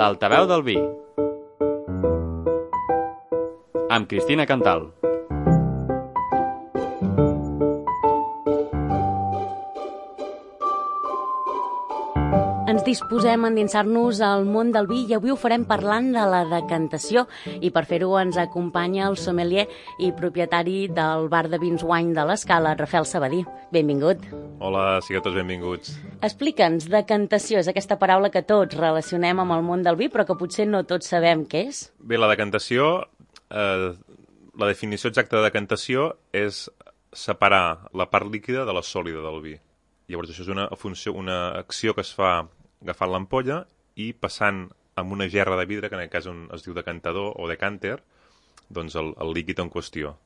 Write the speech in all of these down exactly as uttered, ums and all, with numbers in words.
L'altaveu del vi amb Cristina Cantal. Ens disposem a endinsar-nos al món del vi i avui ho farem parlant de la decantació i per fer-ho ens acompanya el sommelier i propietari del bar de vins Wine de l'Escala, Rafael Sabadí. Benvingut. Hola, sigueu tots benvinguts. Explica'ns, decantació és aquesta paraula que tots relacionem amb el món del vi però que potser no tots sabem què és. Bé, la decantació, eh, la definició exacta de decantació és separar la part líquida de la sòlida del vi. Llavors això és una funció, una acció que es fa agafant l'ampolla i passant amb una gerra de vidre, que en aquest cas un, es diu decantador o decanter, doncs el, el líquid en qüestió.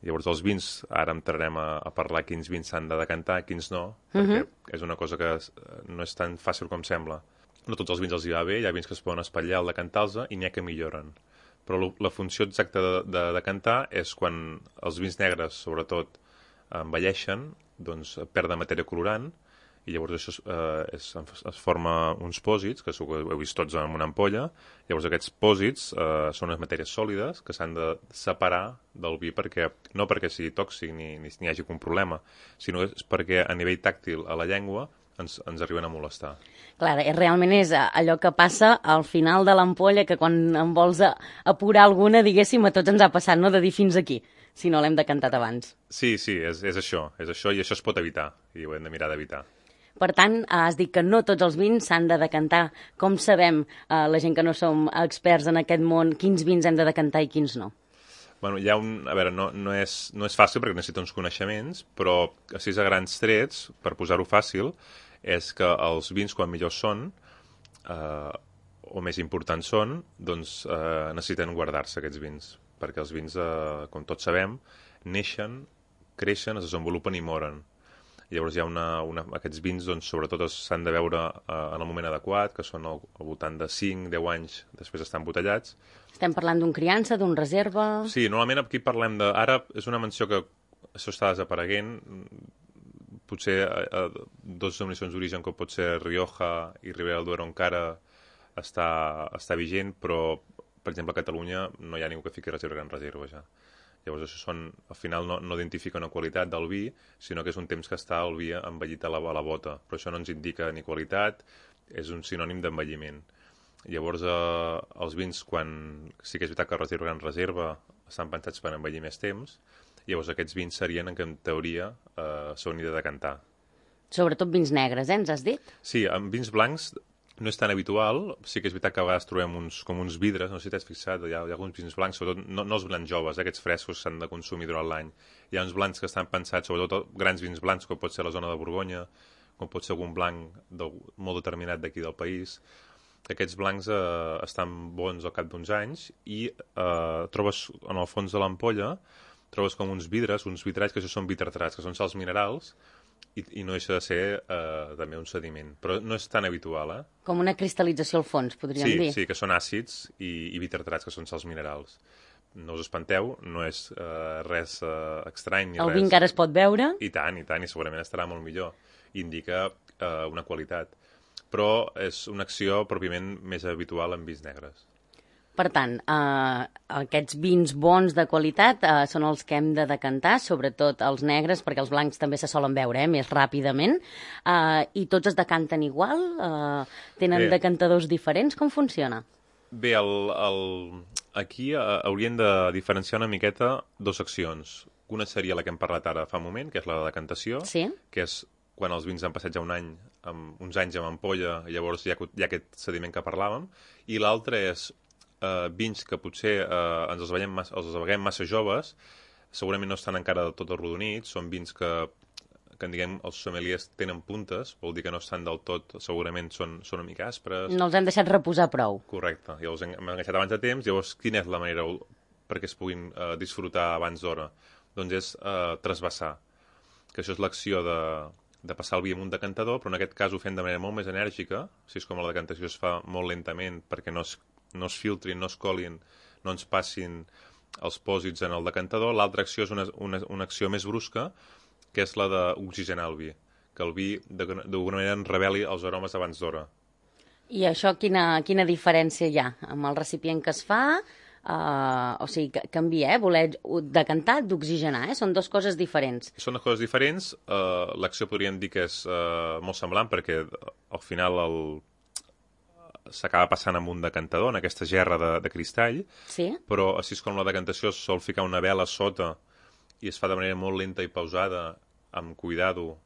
Llavors els vins, ara entrarem a, a parlar quins vins s'han de decantar, quins no, perquè uh-huh. és una cosa que es, no és tan fàcil com sembla. No tots els vins els hi va bé, hi ha vins que es poden espatllar al decantar-los i n'hi ha que milloren. Però lo, la funció exacta de, de decantar és quan els vins negres, sobretot, envelleixen, doncs perden matèria colorant, i llavors això eh, es, es forma uns pòsits, que ho heu vist tots en una ampolla. Llavors aquests pòsits eh, són unes matèries sòlides que s'han de separar del vi, perquè no perquè sigui tòxic ni, ni, ni hi hagi un problema, sinó és perquè a nivell tàctil a la llengua ens, ens arriben a molestar. Clar, realment és allò que passa al final de l'ampolla, que quan en vols apurar alguna, diguéssim, a tots ens ha passat, no?, de dir fins aquí, si no l'hem decantat abans. Sí, sí, és, és això, és això, i això es pot evitar, i ho hem de mirar d'evitar. Per tant, has dit que no tots els vins s'han de decantar. Com sabem, eh, la gent que no som experts en aquest món, quins vins hem de decantar i quins no? Bueno, hi ha un... A veure, no, no, és, no és fàcil perquè necessita uns coneixements, però així a grans trets, per posar-ho fàcil, és que els vins, quan millors són, eh, o més importants són, doncs eh, necessiten guardar-se aquests vins, perquè els vins, eh, com tots sabem, neixen, creixen, es desenvolupen i moren. Llavors hi ha una, una, aquests vins, doncs, sobretot s'han de veure eh, en el moment adequat, que són al, al voltant de cinc a deu anys després estan embotellats. Estem parlant d'un criança, d'un reserva... Sí, normalment aquí parlem de... Ara és una menció que això està desapareguent. Potser eh, eh, dos denominacions d'origen, com pot ser Rioja i Ribera del Duero, encara està, està vigent, però, per exemple, a Catalunya no hi ha ningú que fiqui reserva gran reserva ja. Llavors això són, al final no, no identifica una qualitat del vi, sinó que és un temps que està el vi envellit a la, a la bota. Però això no ens indica ni qualitat, és un sinònim d'envelliment. Llavors eh, els vins, quan sí que és veritat que reserva gran reserva, estan pensats per envellir més temps, llavors aquests vins serien en què en teoria eh, s'haurien de decantar. Sobretot vins negres, eh, ens has dit? Sí, amb vins blancs no és tan habitual, sí que és veritat que a vegades trobem uns, com uns vidres, no sé si t'has fixat, hi ha, hi ha alguns vins blancs, sobretot no, no els blancs joves, eh, aquests frescos s'han de consumir durant l'any. Hi ha uns blancs que estan pensats, sobretot grans vins blancs, com pot ser la zona de Borgonya, com pot ser algun blanc de, molt determinat d'aquí del país. Aquests blancs eh, estan bons al cap d'uns anys i eh, trobes en el fons de l'ampolla, trobes com uns vidres, uns vitralls que això són vitratrats, que són sals minerals, I, i no deixa de ser eh, també un sediment, però no és tan habitual, eh? Com una cristal·lització al fons, podríem sí, dir. Sí, que són àcids i, i vitratrats, que són sals minerals. No us espanteu, no és eh, res eh, estrany ni el res... vi encara es pot veure? I tant, i tant, i segurament estarà molt millor. Indica eh, una qualitat. Però és una acció pròpiament més habitual en vins negres. Per tant, eh, aquests vins bons de qualitat eh, són els que hem de decantar, sobretot els negres, perquè els blancs també se solen veure eh, més ràpidament, eh, i tots es decanten igual? Eh, tenen Bé. decantadors diferents? Com funciona? Bé, el, el... aquí eh, haurien de diferenciar una miqueta dues accions. Una seria la que hem parlat ara fa un moment, que és la de decantació, sí? que és quan els vins han passat ja un any, amb, uns anys amb ampolla, i llavors hi ha, hi ha aquest sediment que parlàvem, i l'altre és Uh, vins que potser uh, ens els veiem massa, els veiem massa joves, segurament no estan encara del tot arrodonits, són vins que, que diguem, els sommeliers tenen puntes, vol dir que no estan del tot, segurament són, són una mica aspres. No els hem deixat reposar prou. Correcte, i els hem enganxat abans de temps, llavors quina és la manera perquè es puguin uh, disfrutar abans d'hora? Doncs és uh, trasbassar, que això és l'acció de, de passar el vi amb un decantador, però en aquest cas ho fem de manera molt més enèrgica, si és com la decantació es fa molt lentament perquè no es no es filtrin, no es colin, no ens passin els pòsits en el decantador. L'altra acció és una, una, una acció més brusca, que és la d'oxigenar el vi, que el vi d'alguna manera en reveli els aromes abans d'hora. I això quina, quina diferència hi ha amb el recipient que es fa? Uh, o sigui, canvia, eh? Voler decantar, d'oxigenar, eh? Són dues coses diferents. Són dues coses diferents. Uh, l'acció podríem dir que és uh, molt semblant perquè al final el... s'acaba passant amb un decantador, en aquesta gerra de, de cristall, sí? Però així com la decantació es sol ficar una vela sota i es fa de manera molt lenta i pausada, amb cuidado,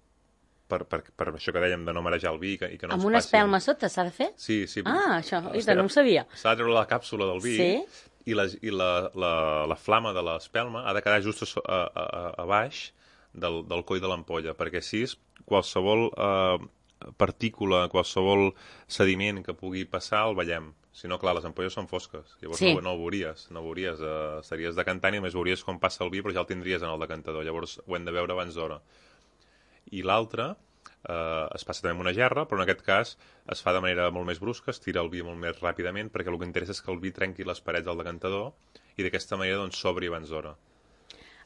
per, per, per això que dèiem de no marejar el vi i que, i que no amb ens una passi... espelma sota s'ha de fer? Sí, sí. Ah, això, oita, no ho sabia. S'ha de treure la càpsula del vi sí? i, la, i la, la, la flama de l'espelma ha de quedar just a, a, a, a baix del, del coll de l'ampolla, perquè així qualsevol eh, partícula, qualsevol sediment que pugui passar el veiem. Si no, clar, les ampolles són fosques. Llavors sí. no, no ho veuries. No ho veuries. Eh, estaries decantant i només veuries com passa el vi, però ja el tindries en el decantador. Llavors ho hem de veure abans d'hora. I l'altre eh, es passa també amb una gerra, però en aquest cas es fa de manera molt més brusca, es tira el vi molt més ràpidament, perquè el que interessa és que el vi trenqui les parets del decantador i d'aquesta manera doncs, s'obri abans d'hora.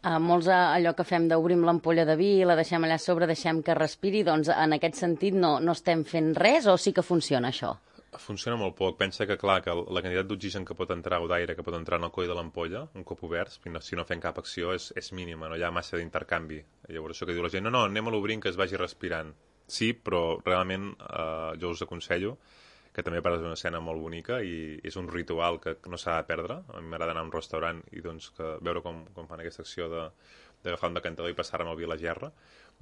Uh, molts uh, allò que fem d'obrim l'ampolla de vi, la deixem allà a sobre, deixem que respiri, doncs en aquest sentit no, no estem fent res o sí que funciona això? Funciona molt poc. Pensa que, clar, que la quantitat d'oxigen que pot entrar o d'aire que pot entrar en el coll de l'ampolla, un cop obert, si no fem cap acció, és, és mínima, no hi ha massa d'intercanvi. Llavors això que diu la gent, no, no, anem a l'obrint que es vagi respirant. Sí, però realment eh, jo us aconsello que també parles d'una escena molt bonica i és un ritual que no s'ha de perdre. A mi m'agrada anar a un restaurant i doncs, que veure com, com fan aquesta acció de, d'agafar un decantador i passar amb el vi a la gerra.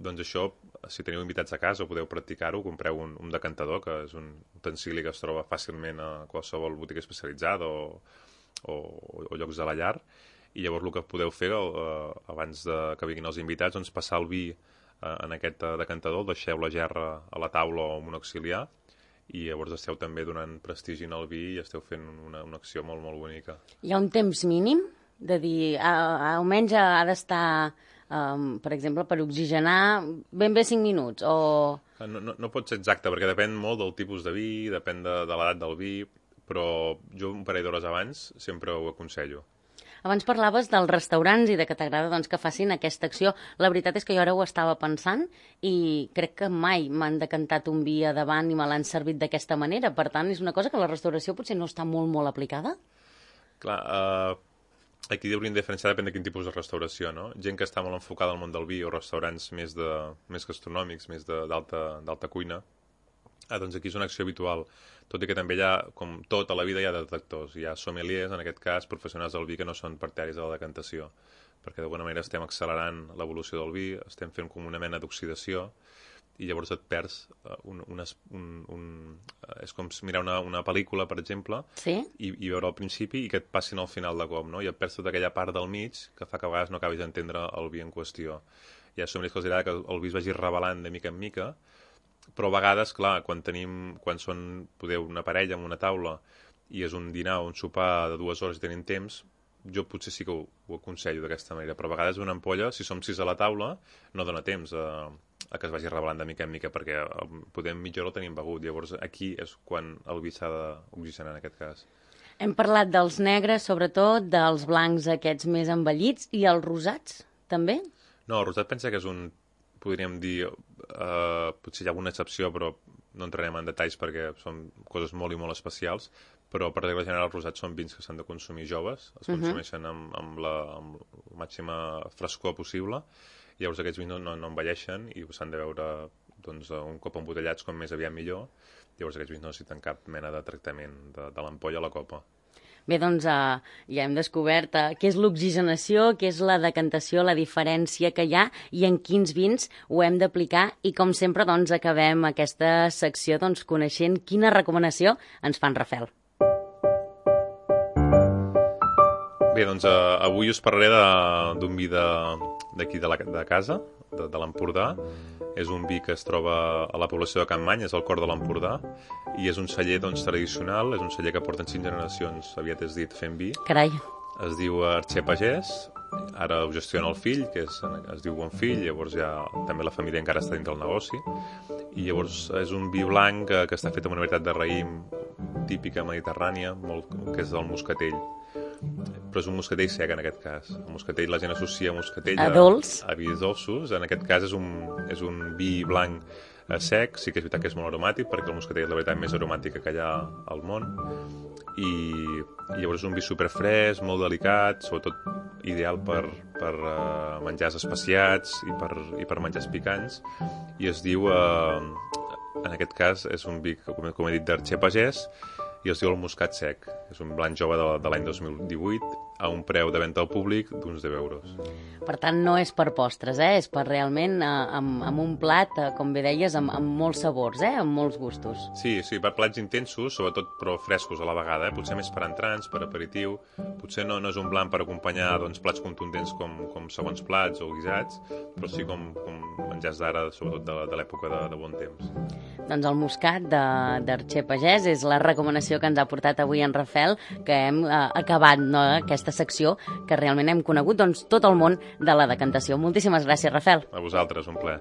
Doncs això, si teniu invitats a casa o podeu practicar-ho, compreu un, un decantador, que és un utensili que es troba fàcilment a qualsevol botiga especialitzada o, o, o llocs de la llar, i llavors el que podeu fer eh, abans de que vinguin els invitats, doncs passar el vi eh, en aquest decantador, deixeu la gerra a la taula o amb un auxiliar, i llavors esteu també donant prestigi al vi i esteu fent una, una acció molt, molt bonica. Hi ha un temps mínim? De dir, almenys ha d'estar, um, per exemple, per oxigenar ben bé cinc minuts, o... No, no, no pot ser exacte, perquè depèn molt del tipus de vi, depèn de, de l'edat del vi, però jo un parell d'hores abans sempre ho aconsello. Abans parlaves dels restaurants i de que t'agrada doncs, que facin aquesta acció. La veritat és que jo ara ho estava pensant i crec que mai m'han decantat un vi a davant i me l'han servit d'aquesta manera. Per tant, és una cosa que la restauració potser no està molt, molt aplicada? Clar, eh... aquí hauríem de diferenciar depèn de quin tipus de restauració, no? Gent que està molt enfocada al món del vi o restaurants més, de, més gastronòmics, més d'alta cuina, ah, doncs aquí és una acció habitual. Tot i que també hi ha, com tot a la vida, hi ha detectors. Hi ha sommeliers, en aquest cas, professionals del vi que no són partidaris de la decantació, perquè d'alguna manera estem accelerant l'evolució del vi, estem fent com una mena d'oxidació, i llavors et perds un, un, un, un, és com mirar una, una pel·lícula, per exemple, sí? i, i veure al principi i que et passin al final de cop, no? I et perds tota aquella part del mig que fa que a vegades no acabis d'entendre el vi en qüestió. Hi ha sommeliers que els agrada que el vi es vagi revelant de mica en mica, però a vegades, clar, quan tenim, quan són, podeu, una parella en una taula i és un dinar o un sopar de dues hores i tenim temps, jo potser sí que ho, ho aconsello d'aquesta manera, però a vegades una ampolla, si som sis a la taula, no dona temps a, a que es vagi revelant de mica en mica, perquè podem mitja hora el tenim begut, llavors aquí és quan el vi s'ha d'oxigenar en aquest cas. Hem parlat dels negres, sobretot, dels blancs aquests més envellits, i els rosats, també? No, el rosat pensa que és un, podríem dir, eh, potser hi ha alguna excepció, però no entrarem en detalls perquè són coses molt i molt especials, però per regla general els rosats són vins que s'han de consumir joves, es consumeixen amb, amb, la, amb la màxima frescor possible, i llavors aquests vins no, no, no envelleixen i s'han de veure doncs, un cop embotellats com més aviat millor, llavors aquests vins no necessiten cap mena de tractament de, de l'ampolla a la copa. Bé, doncs uh, ja hem descobert uh, què és l'oxigenació, què és la decantació, la diferència que hi ha i en quins vins ho hem d'aplicar, i com sempre doncs, acabem aquesta secció doncs, coneixent quina recomanació ens fan Rafel. Bé, doncs uh, avui us parlaré d'un vi d'aquí de, de, la, de casa, de, de l'Empordà. És un vi que es troba a la població de Campmany, és el cor de l'Empordà, i és un celler doncs, tradicional, és un celler que porten cinc generacions, aviat és dit, fent vi. Carai. Es diu Arxer Pagès, ara ho gestiona el fill, que és, es diu Bonfill, llavors ja també la família encara està dins del negoci, i llavors és un vi blanc que, que està fet amb una varietat de raïm típica mediterrània, molt, que és el moscatell. Però és un moscatell sec en aquest cas. El moscatell, la gent associa moscatell a, a dolç, a, avis dolços. En aquest cas és un, és un vi blanc a sec, sí que és veritat que és molt aromàtic, perquè el moscatel és la veritat més aromàtica que hi ha al món, i, i llavors és un vi superfresc, molt delicat, sobretot ideal per, per uh, menjars especiats i per, i per menjars picants, i es diu, uh, en aquest cas, és un vi, com, com he dit, d'Arxer Pagès, i es diu el Muscat Sec. És un blanc jove de, de l'any dos mil divuit, a un preu de venda al públic d'uns deu euros. Per tant, no és per postres, eh? És per realment eh, amb, amb un plat, eh, com bé deies, amb, amb molts sabors, eh? Amb molts gustos. Sí, sí, per plats intensos, sobretot però frescos a la vegada, eh? Potser més per entrants, per aperitiu, potser no, no és un blanc per acompanyar doncs, plats contundents com, com segons plats o guisats, però sí com, com menjars d'ara, sobretot de, de l'època de, de bon temps. Doncs el muscat d'Arxer Pagès és la recomanació que ens ha portat avui en Rafel, que hem eh, acabat no, aquesta secció que realment hem conegut doncs, tot el món de la decantació. Moltíssimes gràcies, Rafel. A vosaltres, un plaer.